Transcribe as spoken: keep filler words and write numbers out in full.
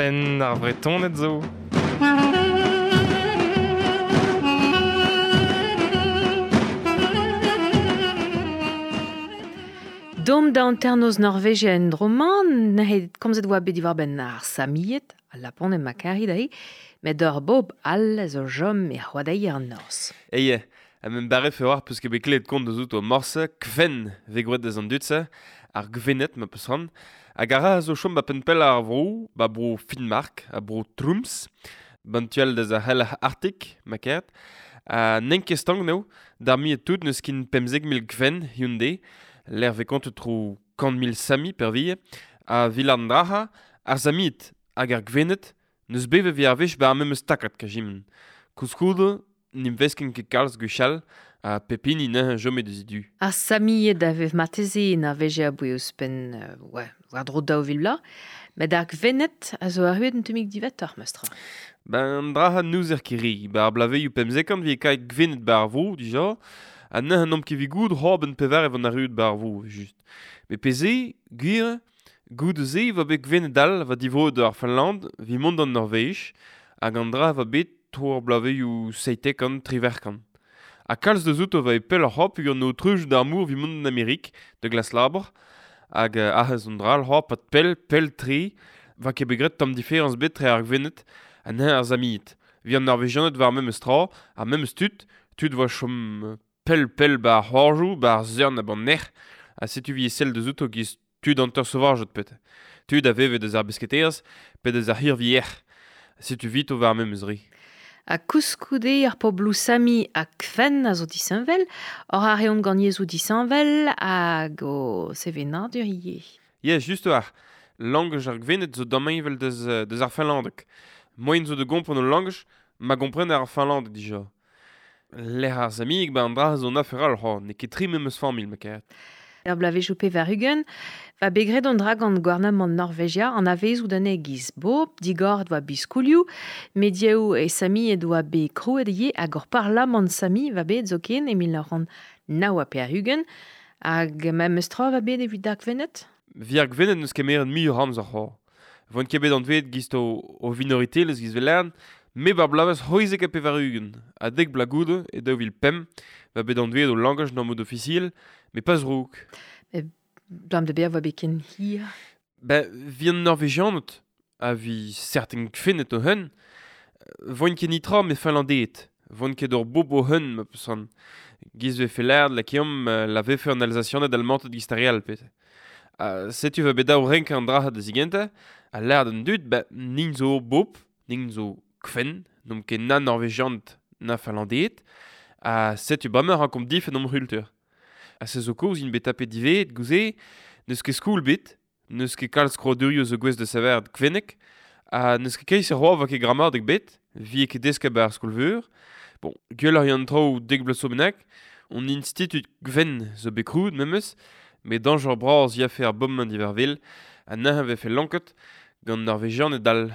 Penn ar Vretoned zo. Dom da anternoz Norvegia en droman, n'he komzet oa bet diwar ben ar Samiet, al Lapon e makari dai, met ur bob all zo jom e c'hoadeier an Norz. Eie, a men bare fe war peus ket bet klevet kont deus out o morse, kven ve gwet deus an dud-se, ar gvenet ma peus ran, hag a ra zo chom ba penn pell ar vro, ba bro Finnmark, a bro Trums, ban tual deus ar hell Arctic, ma kert, a n'en ket stank neo, d'ar mi et tout neus kin pemzek mil gven Hyundai, l'er ve kont tro kant mil Sami per vie, a vilan draha, ar Samit hag ar gvenet, neus beve vi ar vech ba ar memes takat ka jimen. Koulskoude, n'im vesken ket kalz gwechall, a pepini neuze jome deus du. Ar Samied a vev marteze na veje a boue ouzhpenn, euh, ouais, war dro daou vil bla, met ar gvenet a zo arruet un tammig diwezhatoc'h, meustra. Ben draha n'ouzer ket re, ba ar blaveioù pemzekant vi e kaet gvenet ba ar vro, dija, ha neuze n'omp ket vi goud horben pevar evan arruet ba ar vro, just. Met peze, gwir, goud ze va bet gvenet all va divroet ar Finland, vi mont an Norvej, hag an dra va bet tro ar blaveioù seitekant, triverkant. Ha kalz deus outo va e pell ar hop gant o treuj d'ar mour vi mont an Amerik, de glas labor, hag ahez an dra al hop at pell, pell tre, va ket bet graet tamm diferañs bet tre ar gvenet, ha neuze ar Samied. Vi an Norvegianed war memes tra, ar memes tud, tud va chom pell pell ba ar c'hoarjoù, ba ar zern ha ban nec'h, ha setu vi e sell deus outo giz tud an teur sauvajet pet. Tud a veve deus ar besketerez, pe deus ar hirvier. Setu vito war memes re. Ha koulskoude ar pobloù Sami ha Kven a zo disheñvel, or a reont gant yezhoù disheñvel hag o sevenadur ivez. Yeah, just war. Langaj ar gvenet zo damheñvel deus, deus ar Finlandeg. Moaien zo de gompren o langaj, ma gompren ar Finlandeg dija. Lec'h ar Samieg ba an dra zo an afer all, ho, n'eo ket tri memes familh, ma karet. Er blavezhioù pevar-ugent, va bet graet an dra gant gouarnamant Norvegia an avezoù da giz bob, digor doa biskoulioù, mediaoù e Sami doa bet krouet ivez hag ur parlamant Sami va bet zoken e mil nav c'hant nav ha pevar-ugent, hag memes tra va bet evit ar gvenet? Vi ar gvenet n'eus kemeret muioc'h amzer c'ho. Voint ket bet anvet giz o, o minoritelezh giz velern, me bar blavez c'hwezek ha pevar-ugent, ha dek bla goude e daou vil pemp, va bet anvet o langaj n'am mod ofisiel, met pas rouk. E blam de ber va bet ken hir? Ben, vi an Norvegianed, ha vi certain kfennet o hun, voint ket nitra me Finlandeed, voint ket ur bob o hun, ma peus an. Giz ve felerd la kiom la vefe an Alsacianed almantet giz ar real, pet. Uh, setu va bet daou renk an draha da zigenta, ha lerd an dud, ben, nin zo bob, nin zo kfen, n'omp ket na Norvegianed na Finlandeed, ha setu bremañ rankomp difenn omp c'hultur. Ha se zo kaoz int bet tapet diveet, gouze, n'eus ket skoul bet, n'eus ket kalz kroadurioù zo gouest da saver kvennek, ha n'eus ket keiz ar va ket gramadeg bet, vi e ket deska ba ar skol-veur. Bon, gwell ar yann traoù dek bloaz zo bennak, on institut gven zo bet krouet memes, met dañjer bras ya fe ar bommañ divervel, ha neuze vefe lanket gant Norvegianed all.